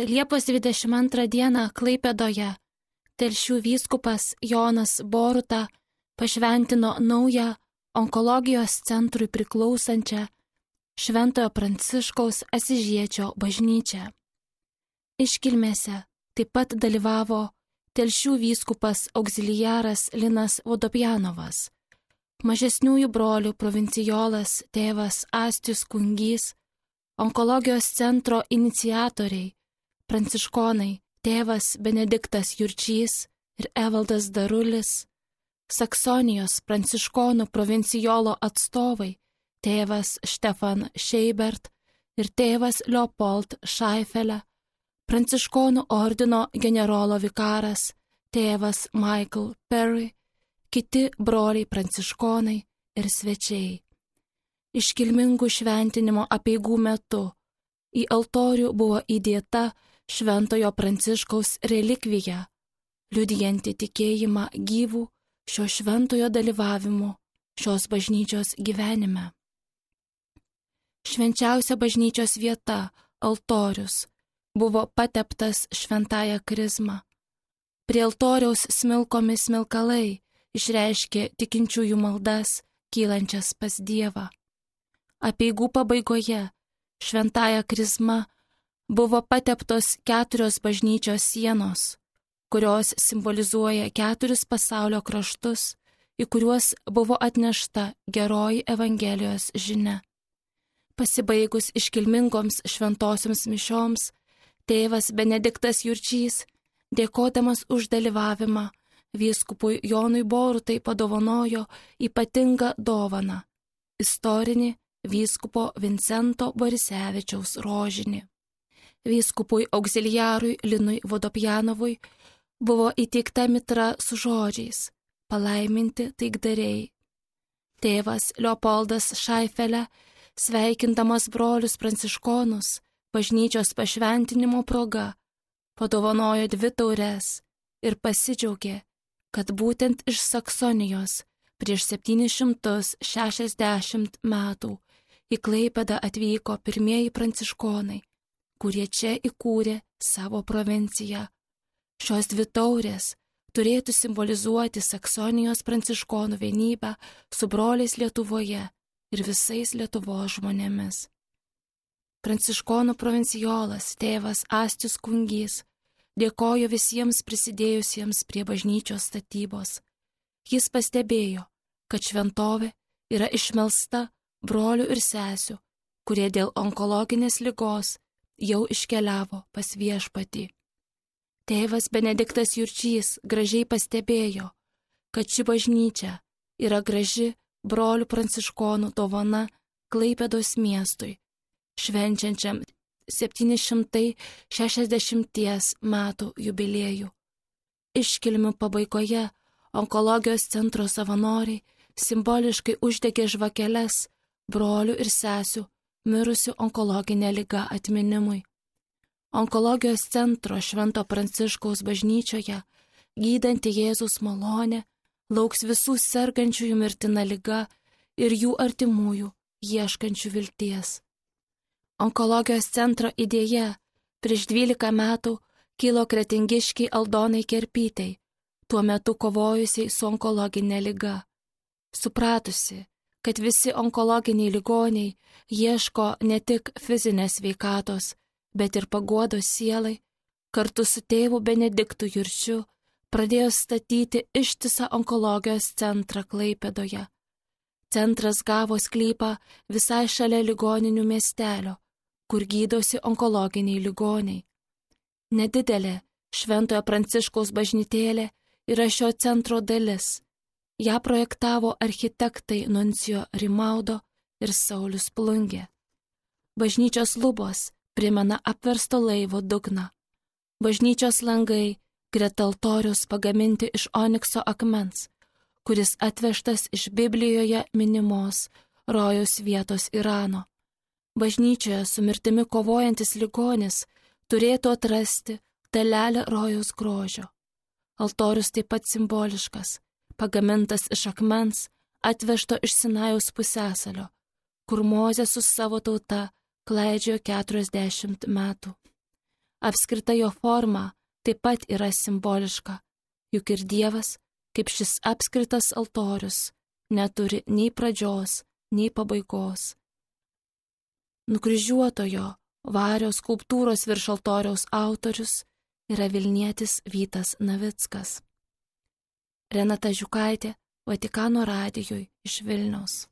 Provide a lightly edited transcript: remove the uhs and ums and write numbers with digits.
Liepos 22 dieną Klaipėdoje Telšių vyskupas Jonas Boruta pašventino naują onkologijos centrui priklausančią Šventojo Pranciškaus Asyžiečio bažnyčią. Iškilmėse taip pat dalyvavo Telšių vyskupas auxiliaras Linas Vodopjanovas, mažesniųjų brolių provincijolas tėvas Astius Kungys, onkologijos centro iniciatoriai, pranciškonai tėvas Benediktas Jurčys ir Evaldas Darulis, Saksonijos pranciškonų provincijolo atstovai tėvas Štefan Šeibert ir tėvas Leopold Šaifelė, pranciškonų ordino generolo vikaras tėvas Michael Perry, kiti broliai pranciškonai ir svečiai. Iškilmingų šventinimo apeigų metu į altorių buvo įdėta Šventojo Pranciškaus relikvija, liudijanti tikėjimą gyvų šio šventojo dalyvavimu šios bažnyčios gyvenime. Švenčiausia bažnyčios vieta, altorius, buvo pateptas šventąja krizma. Prie altoriaus smilkomi smilkalai išreiškė tikinčiųjų maldas, kylančias pas Dievą. Apeigų pabaigoje šventąja krizma buvo pateptos 4 bažnyčios sienos, kurios simbolizuoja 4 pasaulio kraštus, į kuriuos buvo atnešta geroji Evangelijos žinia. Pasibaigus iškilmingoms šventosioms mišioms, tėvas Benediktas Jurčys, dėkodamas už dalyvavimą, vyskupui Jonui Borutai padovanojo ypatingą dovaną - istorinį vyskupo Vincento Borisevičiaus rožinį. Vyskupui auxiliarui Linui Vodopjanovui buvo įteikta mitra su žodžiais palaiminti taikdariai. Tėvas Leopoldas Šaifelė, sveikindamas brolius pranciškonus bažnyčios pašventinimo proga, padovanojo 2 taures ir pasidžiaugė, kad būtent iš Saksonijos prieš 760 metų į Klaipėdą atvyko pirmieji pranciškonai, kurie čia įkūrė savo provinciją. Šios 2 taurės turėtų simbolizuoti Saksonijos pranciškonų vienybę su broliais Lietuvoje ir visais Lietuvos žmonėmis. Pranciškonų provincijolas tėvas Astius Kungys dėkojo visiems prisidėjusiems prie bažnyčios statybos. Jis pastebėjo, kad šventovė yra išmelsta brolių ir sesių, kurie dėl onkologinės ligos jau iškeliavo pas Viešpatį. Tėvas Benediktas Jurčys gražiai pastebėjo, kad ši bažnyčia yra graži brolių pranciškonų dovana Klaipėdos miestui, švenčiančiam 760 metų jubiliejų. Iškilmių pabaigoje onkologijos centro savanoriai simboliškai uždegė žvakeles brolių ir sesių mirusių onkologinė liga atminimui. Onkologijos centro Švento Pranciškaus bažnyčioje gydanti Jėzus malonė lauks visų sergančiųjų mirtina liga ir jų artimųjų ieškančių vilties. Onkologijos centro idėja prieš 12 metų kilo kretingiškiai Aldonai Kerpytei, tuo metu kovojusiai su onkologinė liga. Supratusi, kad visi onkologiniai ligoniai ieško ne tik fizinės sveikatos, bet ir paguodos sielai, kartu su tėvu Benediktu Jurčiu pradėjo statyti ištisą onkologijos centrą Klaipėdoje. Centras gavo sklypą visai šalia ligoninių miestelio, kur gydosi onkologiniai ligoniai. Nedidelė Šventojo Pranciškaus bažnytėlė yra šio centro dalis. Ja projektavo architektai Nuncijo Rimaudo ir Saulius Plungė. Bažnyčios lubos primena apversto laivo dugną. Bažnyčios langai greta altoriaus pagaminti iš onikso akmens, kuris atvežtas iš Biblijoje minimos rojaus vietos Irano. Bažnyčioje su mirtimi kovojantis ligonis turėtų atrasti dalelę rojaus grožio. Altorius taip pat simboliškas, pagamintas iš akmens, atvežto iš Sinajaus pusiasalio, kur Mozė su savo tauta klaidžiojo 40 metų. Apskrita jo forma taip pat yra simboliška, juk ir Dievas, kaip šis apskritas altorius, neturi nei pradžios, nei pabaigos. Nukryžiuotojo Vario skulptūros virš altoriaus autorius yra Vilnietis Vytas Navickas. Renata Žiukaitė, Vatikano radijui iš Vilniaus.